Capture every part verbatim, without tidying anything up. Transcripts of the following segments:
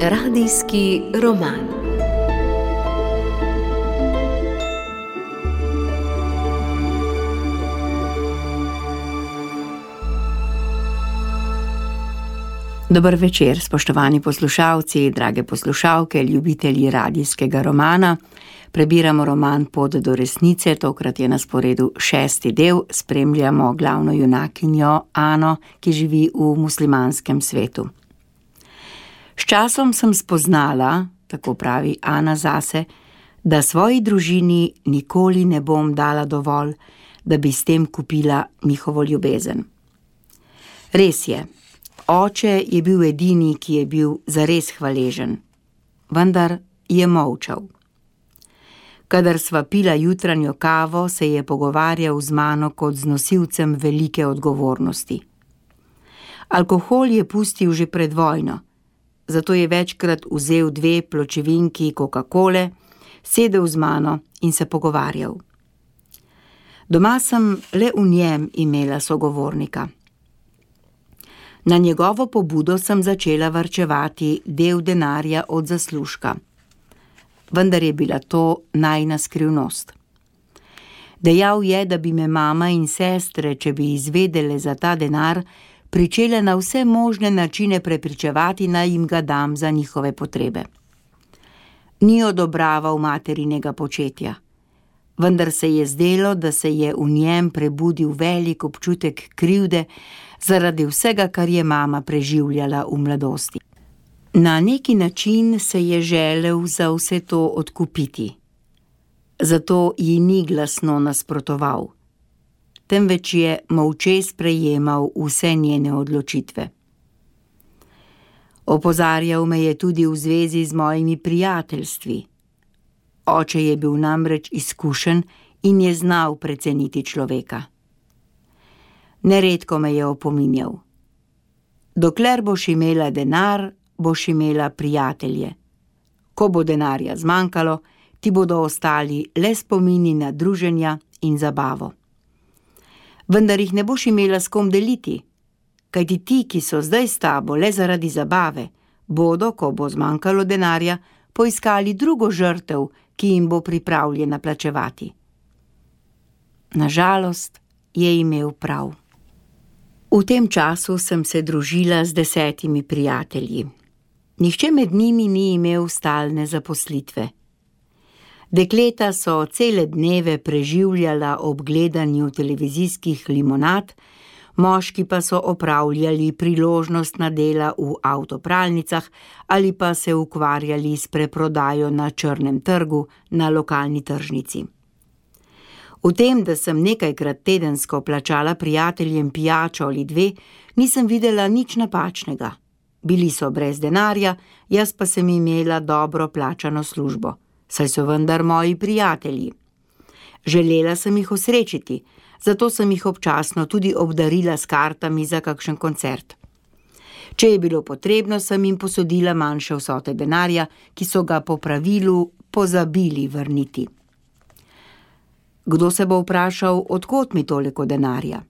Radijski roman. Dober večer, spoštovani poslušalci, drage poslušalke, ljubitelji radijskega romana. Prebiramo roman Pot do resnice, tokrat je na sporedu šesti del, spremljamo glavno junakinjo Ano, ki živi v muslimanskem svetu. S časom sem spoznala, tako pravi Ana zase, da svoji družini nikoli ne bom dala dovolj, da bi s tem kupila njihovo ljubezen. Res je, oče je bil edini, ki je bil zares hvaležen, vendar je molčal. Kadar sva pila jutranjo kavo, se je pogovarjal z mano kot z nosilcem velike odgovornosti. Alkohol je pustil že pred vojno, zato je večkrat vzel dve pločevinki Coca-Cole, sedel z mano in se pogovarjal. Doma sem le v njem imela sogovornika. Na njegovo pobudo sem začela varčevati del denarja od zaslužka. Vendar je bila to najina skrivnost. Dejal je, da bi me mama in sestre, če bi izvedele za ta denar, pričele na vse možne načine prepričevati, naj jim ga dam za njihove potrebe. Ni odobraval materinega početja, vendar se je zdelo, da se je v njem prebudil velik občutek krivde zaradi vsega, kar je mama preživljala v mladosti. Na neki način se je želel za vse to odkupiti. Zato ji ni glasno nasprotoval, temveč je molče sprejemal vse njene odločitve. Opozarjal me je tudi v zvezi z mojimi prijateljstvi. Oče je bil namreč izkušen in je znal preceniti človeka. Neredko me je opominjal. Dokler boš imela denar, boš imela prijatelje. Ko bo denarja zmanjkalo, ti bodo ostali le spomini na druženja in zabavo. Vendar jih ne boš imela s kom deliti, kajti ti, ki so zdaj s tabo le zaradi zabave, bodo, ko bo zmanjkalo denarja, poiskali drugo žrtev, ki jim bo pripravljena plačevati. Nažalost je imel prav. V tem času sem se družila z desetimi prijatelji. Nihče med njimi ni imel stalne zaposlitve. Dekleta so cele dneve preživljala ob gledanju televizijskih limonad, moški pa so opravljali priložnostna dela v avtopralnicah ali pa se ukvarjali s preprodajo na črnem trgu na lokalni tržnici. V tem, da sem nekajkrat tedensko plačala prijateljem pijačo ali dve, nisem videla nič napačnega. Bili so brez denarja, jaz pa sem imela dobro plačano službo, saj so vendar moji prijatelji. Želela sem jih osrečiti, zato sem jih občasno tudi obdarila s kartami za kakšen koncert. Če je bilo potrebno, sem jim posodila manjše vsote denarja, ki so ga po pravilu pozabili vrniti. Kdo se bo vprašal, od kod mi toliko denarja?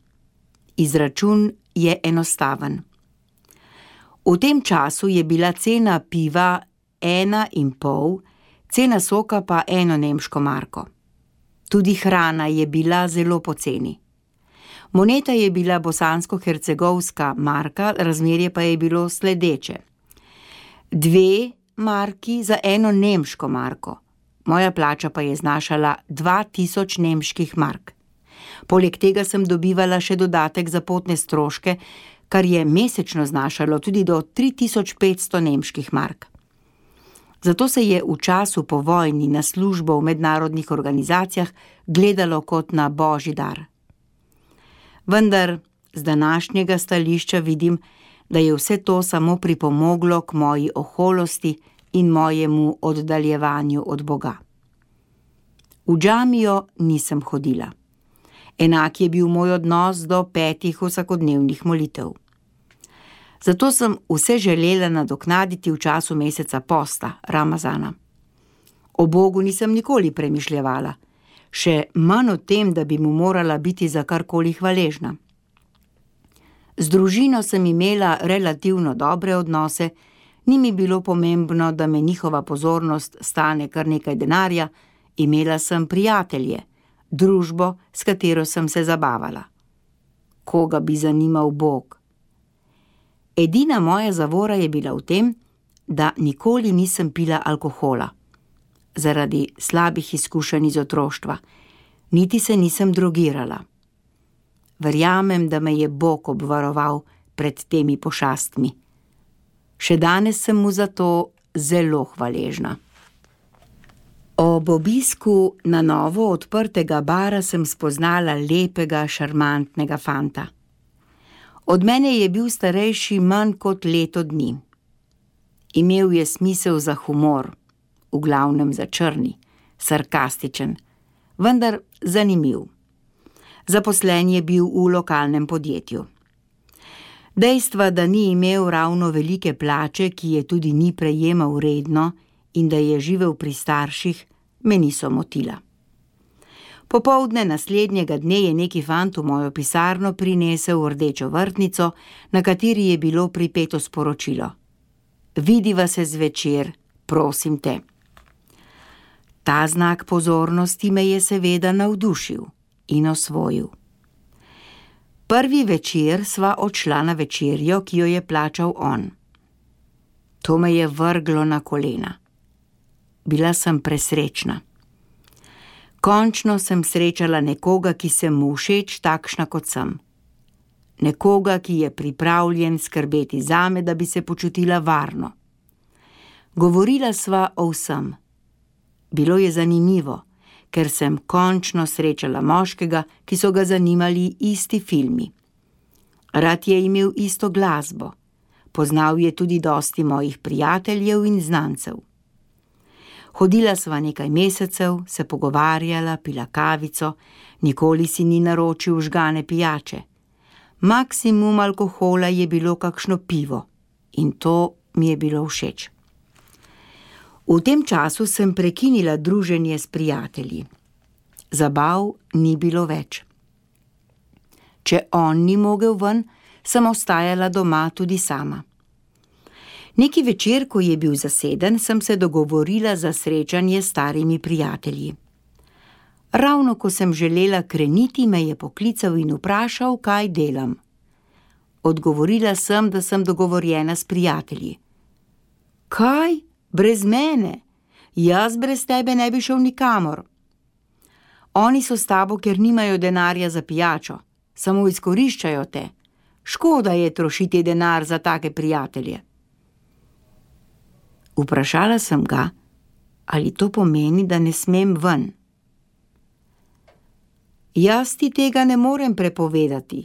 Izračun je enostaven. V tem času je bila cena piva ena in pol, cena soka pa eno nemško marko. Tudi hrana je bila zelo poceni. Moneta je bila bosansko-hercegovska marka, razmerje pa je bilo sledeče. Dve marki za eno nemško marko. Moja plača pa je znašala dva tisoč nemških mark. Poleg tega sem dobivala še dodatek za potne stroške, kar je mesečno znašalo tudi do tri tisoč petsto nemških mark. Zato se je v času po vojni na službo v mednarodnih organizacijah gledalo kot na božji dar. Vendar z današnjega stališča vidim, da je vse to samo pripomoglo k moji oholosti in mojemu oddaljevanju od Boga. V džamijo nisem hodila. Enak je bil moj odnos do petih vsakodnevnih molitev. Zato sem vse želela nadoknaditi v času meseca posta, Ramazana. O Bogu nisem nikoli premišljevala, še manj o tem, da bi mu morala biti za karkoli hvaležna. Z družino sem imela relativno dobre odnose, Ni mi bilo pomembno, da me njihova pozornost stane kar nekaj denarja, imela sem prijatelje, družbo, s katero sem se zabavala. Koga bi zanimal Bog? Edina moja zavora je bila v tem, da nikoli nisem pila alkohola. Zaradi slabih izkušenj iz otroštva, niti se nisem drogirala. Verjamem, da me je Bog obvaroval pred temi pošastmi. Še danes sem mu za to zelo hvaležna. Ob obisku na novo odprtega bara sem spoznala lepega, šarmantnega fanta. Od mene je bil starejši manj kot leto dni. Imel je smisel za humor, v glavnem za črni, sarkastičen, vendar zanimiv. Zaposlen je bil v lokalnem podjetju. Dejstva, da ni imel ravno velike plače, ki je tudi ni prejemal redno in da je živel pri starših, me niso motila. Popoldne naslednjega dne je neki fant v mojo pisarno prinesel rdečo vrtnico, na kateri je bilo pripeto sporočilo: Vidiva se zvečer, prosim te. Ta znak pozornosti me je seveda navdušil in osvojil. Prvi večer sva odšla na večerjo, ki jo je plačal on. To me je vrglo na kolena. Bila sem presrečna. Končno sem srečala nekoga, ki se mu všeč takšna kot sem. Nekoga, ki je pripravljen skrbeti zame, da bi se počutila varno. Govorila sva o vsem. Bilo je zanimivo, ker sem končno srečala moškega, ki so ga zanimali isti filmi. Rad je imel isto glasbo. Poznal je tudi dosti mojih prijateljev in znancev. Hodila sva nekaj mesecev, se pogovarjala, pila kavico, nikoli si ni naročil žgane pijače. Maksimum alkohola je bilo kakšno pivo in to mi je bilo všeč. V tem času sem prekinila druženje s prijatelji. Zabav ni bilo več. Če on ni mogel ven, sem ostajala doma tudi sama. Neki večer, ko je bil zaseden, sem se dogovorila za srečanje s starimi prijatelji. Ravno ko sem želela kreniti, me je poklical in vprašal, kaj delam. Odgovorila sem, da sem dogovorjena s prijatelji. Kaj? Brez mene? Jaz brez tebe ne bi šel nikamor. Oni so s tabo, ker nimajo denarja za pijačo, samo izkoriščajo te. Škoda je trošiti denar za take prijatelje. Vprašala sem ga, ali to pomeni, da ne smem ven. Jaz ti tega ne morem prepovedati,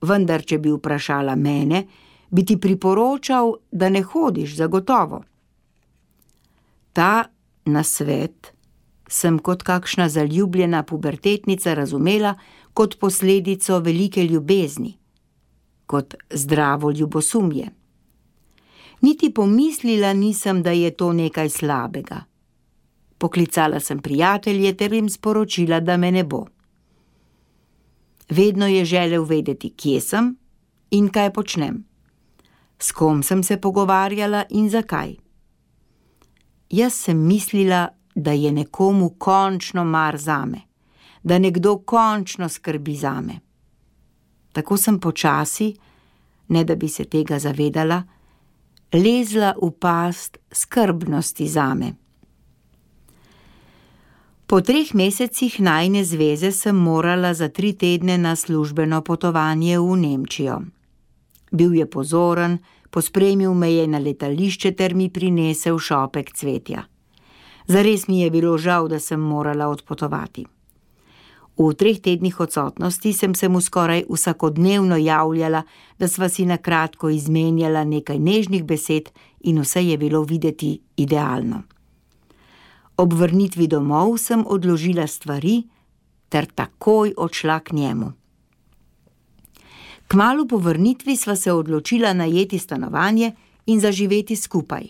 vendar če bi vprašala mene, bi ti priporočal, da ne hodiš zagotovo. Ta nasvet sem kot kakšna zaljubljena pubertetnica razumela kot posledico velike ljubezni, kot zdravo ljubosumje. Niti pomislila nisem, da je to nekaj slabega. Poklicala sem prijatelje ter jim sporočila, da me ne bo. Vedno je želel vedeti, kje sem in kaj počnem. S kom sem se pogovarjala in zakaj. Jaz sem mislila, da je nekomu končno mar zame, da nekdo končno skrbi zame. Tako sem počasi, ne da bi se tega zavedala, lezla v past skrbnosti zame. Po treh mesecih najine zveze sem morala za tri tedne na službeno potovanje v Nemčijo. Bil je pozoren, pospremil me je na letališče ter mi prinesel šopek cvetja. Zares mi je bilo žal, da sem morala odpotovati. V treh tednih odsotnosti sem se mu skoraj vsakodnevno javljala, da sva si na kratko izmenjala nekaj nežnih besed in vse je bilo videti idealno. Ob vrnitvi domov sem odložila stvari ter takoj odšla k njemu. Kmalu po vrnitvi sva se odločila najeti stanovanje in zaživeti skupaj.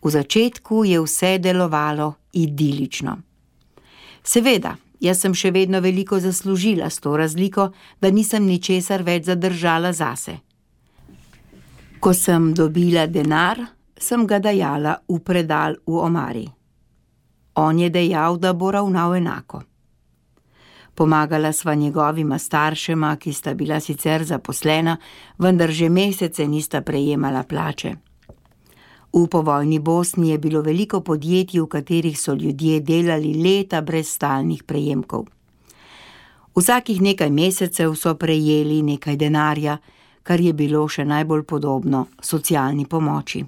V začetku je vse delovalo idilično. Seveda, jaz sem še vedno veliko zaslužila s to razliko, da nisem ničesar več zadržala zase. Ko sem dobila denar, sem ga dajala v predal v omari. On je dejal, da bo ravnal enako. Pomagala sva njegovima staršema, ki sta bila sicer zaposlena, vendar že mesece nista prejemala plače. V povojni Bosni je bilo veliko podjetij, v katerih so ljudje delali leta brez stalnih prejemkov. Vsakih nekaj mesecev so prejeli nekaj denarja, kar je bilo še najbolj podobno socialni pomoči.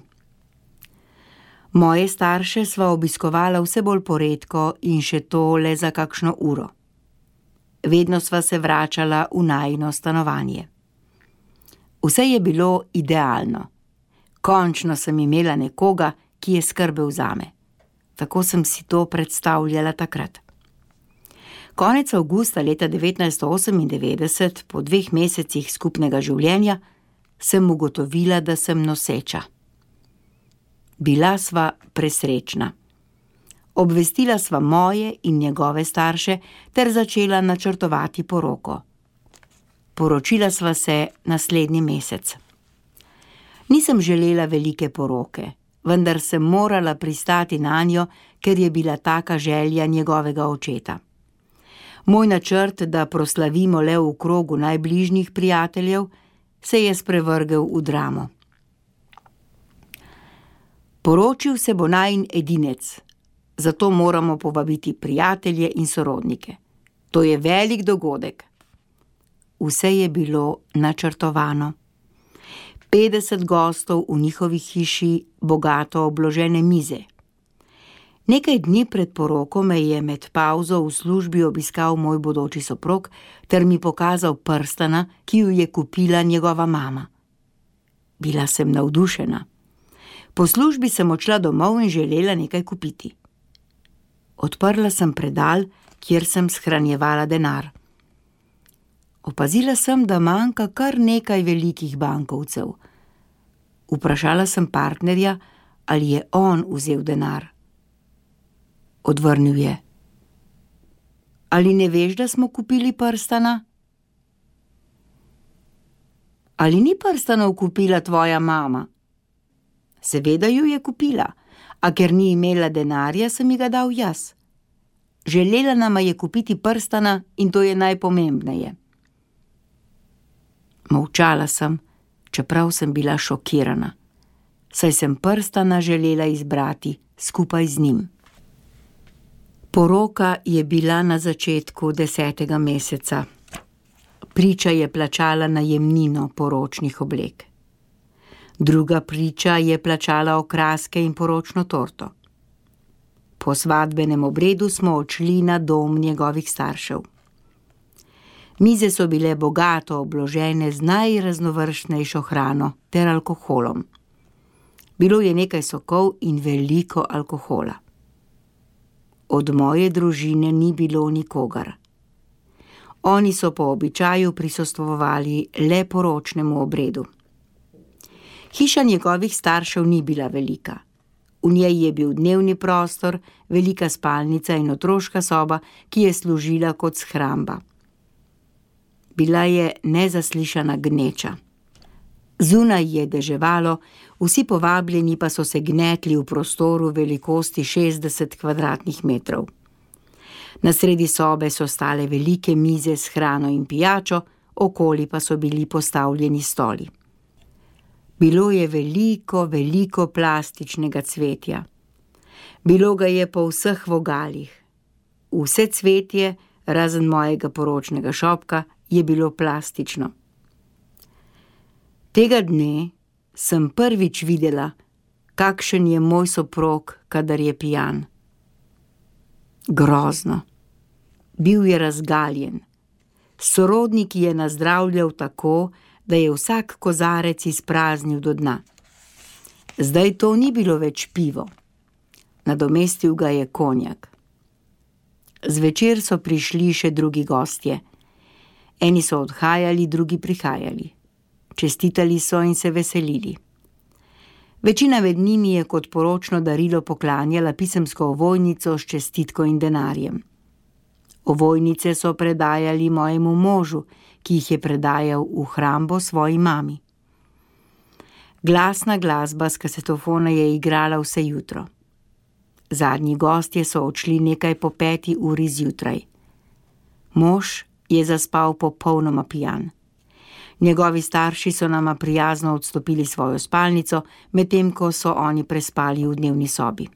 Moje starše sva obiskovala vse bolj poredko in še to le za kakšno uro. Vedno sva se vračala v najino stanovanje. Vse je bilo idealno. Končno sem imela nekoga, ki je skrbel zame. Tako sem si to predstavljala takrat. Konec avgusta leta devetnajststo osemindevetdeset, po dveh mesecih skupnega življenja, sem ugotovila, da sem noseča. Bila sva presrečna. Obvestila sva moje in njegove starše ter začela načrtovati poroko. Poročila sva se naslednji mesec. Nisem želela velike poroke, vendar sem morala pristati nanjo, ker je bila taka želja njegovega očeta. Moj načrt, da proslavimo le v krogu najbližjih prijateljev, se je sprevrgel v dramo. Poročil se bo najin edinec, zato moramo povabiti prijatelje in sorodnike. To je velik dogodek. Vse je bilo načrtovano. petdeset gostov v njihovi hiši, bogato obložene mize. Nekaj dni pred poroko me je med pavzo v službi obiskal moj bodoči soprog ter mi pokazal prstana, ki ju je kupila njegova mama. Bila sem navdušena. Po službi sem odšla domov in želela nekaj kupiti. Odprla sem predal, kjer sem shranjevala denar. Opazila sem, da manjka kar nekaj velikih bankovcev. Vprašala sem partnerja, ali je on vzel denar. Odvrnil je: Ali ne veš, da smo kupili prstana? Ali ni prstanov kupila tvoja mama? Seveda ju je kupila, a ker ni imela denarja, sem ji ga dal jaz. Želela nama je kupiti prstana in to je najpomembneje. Molčala sem, čeprav sem bila šokirana, saj sem prstana želela izbrati skupaj z njim. Poroka je bila na začetku desetega meseca. Priča je plačala najemnino poročnih oblek. Druga priča je plačala okraske in poročno torto. Po svadbenem obredu smo odšli na dom njegovih staršev. Mize so bile bogato obložene z najraznovrstnejšo hrano ter alkoholom. Bilo je nekaj sokov in veliko alkohola. Od moje družine ni bilo nikogar. Oni so po običaju prisostvovali le poročnemu obredu. Hiša njegovih staršev ni bila velika. V njej je bil dnevni prostor, velika spalnica in otroška soba, ki je služila kot shramba. Bila je nezaslišana gneča. Zunaj je deževalo, vsi povabljeni pa so se gnetli v prostoru velikosti šestdeset kvadratnih metrov. Na sredi sobe so stale velike mize s hrano in pijačo, okoli pa so bili postavljeni stoli. Bilo je veliko, veliko plastičnega cvetja. Bilo ga je po vseh vogalih. Vse cvetje, razen mojega poročnega šopka, je bilo plastično. Tega dne sem prvič videla, kakšen je moj soprog, kadar je pijan. Grozno. Bil je razgaljen. Sorodniki je nazdravljal tako, da je vsak kozarec izpraznil do dna. Zdaj to ni bilo več pivo. Nadomestil ga je konjak. Zvečer so prišli še drugi gostje. Eni so odhajali, drugi prihajali. Čestitali so in se veselili. Večina med njimi je kot poročno darilo poklanjala pisemsko ovojnico s čestitko in denarjem. Ovojnice so predajali mojemu možu, ki jih je predajal v hrambo svoji mami. Glasna glasba s kasetofona je igrala vse jutro. Zadnji gostje so odšli nekaj po peti uri zjutraj. Mož je zaspal popolnoma pijan. Njegovi starši so nama prijazno odstopili svojo spalnico, medtem ko so oni prespali v dnevni sobi.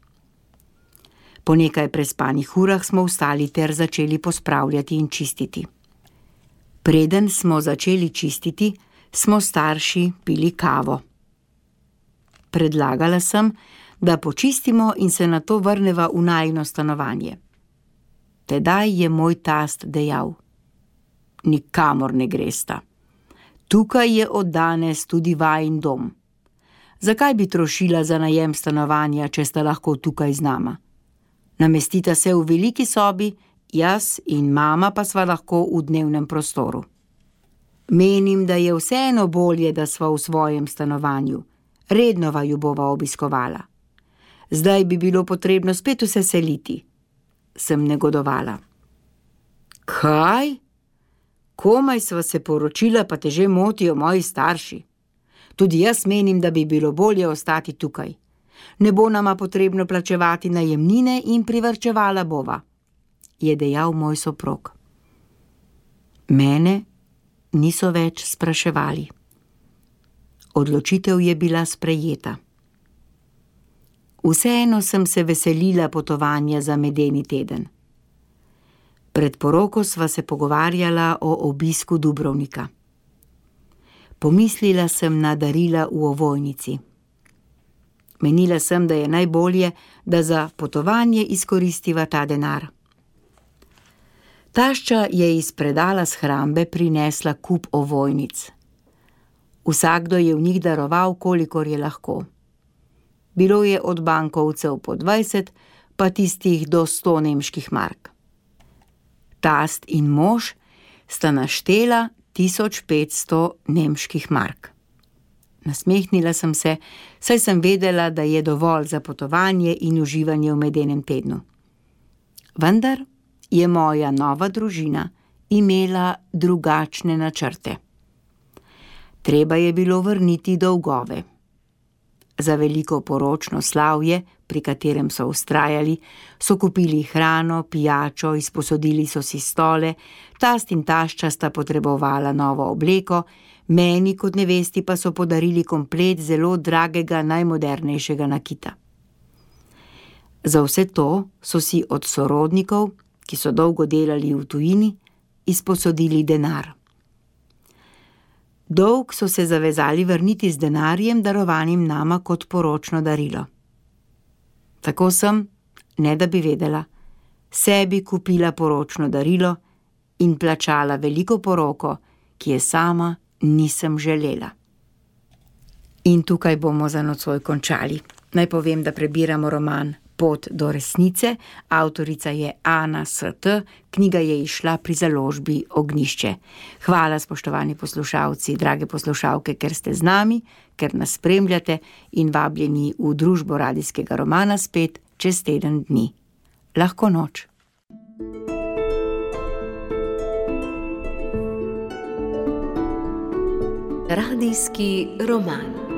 Po nekaj prespanih urah smo vstali ter začeli pospravljati in čistiti. Preden smo začeli čistiti, smo starši pili kavo. Predlagala sem, da počistimo in se nato vrneva v najino stanovanje. Tedaj je moj tast dejal: "Nikamor ne gresta. Tukaj je od danes tudi vajin dom. Zakaj bi trošila za najem stanovanja, če sta lahko tukaj z nama? Namestita se v veliki sobi, jaz in mama pa sva lahko v dnevnem prostoru. Menim, da je vseeno bolje, da sva v svojem stanovanju. Redno vaju bova obiskovala. Zdaj bi bilo potrebno spet vse seliti," sem negodovala. "Kaj? Komaj sva se poročila, pa te že motijo moji starši. Tudi jaz menim, da bi bilo bolje ostati tukaj. Ne bo nama potrebno plačevati najemnine in privarčevala bova," je dejal moj soprog. Mene niso več spraševali. Odločitev je bila sprejeta. Vseeno sem se veselila potovanja za medeni teden. Pred poroko sva se pogovarjala o obisku Dubrovnika. Pomislila sem na darila v ovojnici. Menila sem, da je najbolje, da za potovanje izkoristiva ta denar. Tašča je iz predala shrambe prinesla kup ovojnic. Vsakdo je v njih daroval, kolikor je lahko. Bilo je od bankovcev po dvajset, pa tistih do sto nemških mark. Tast in mož sta naštela tisoč petsto nemških mark. Nasmehnila sem se, saj sem vedela, da je dovolj za potovanje in uživanje v medenem tednu. Vendar je moja nova družina imela drugačne načrte. Treba je bilo vrniti dolgove. Za veliko poročno slavje, pri katerem so vztrajali, so kupili hrano, pijačo, izposodili so si stole, tast in tašča sta potrebovala novo obleko, meni kot nevesti pa so podarili komplet zelo dragega najmodernejšega nakita. Za vse to so si od sorodnikov, ki so dolgo delali v tujini, izposodili denar. Dolg so se zavezali vrniti z denarjem, darovanim nama kot poročno darilo. Tako sem, ne da bi vedela, sebi kupila poročno darilo in plačala veliko poroko, ki je sama nisem želela. In tukaj bomo za nocoj končali. Naj povem, da prebiramo roman Pot do resnice, avtorica je Ana S T, knjiga je izšla pri založbi Ognjišče. Hvala, spoštovani poslušalci, drage poslušalke, ker ste z nami, ker nas spremljate in vabljeni v družbo radijskega romana spet čez teden dni. Lahko noč. Radijski roman.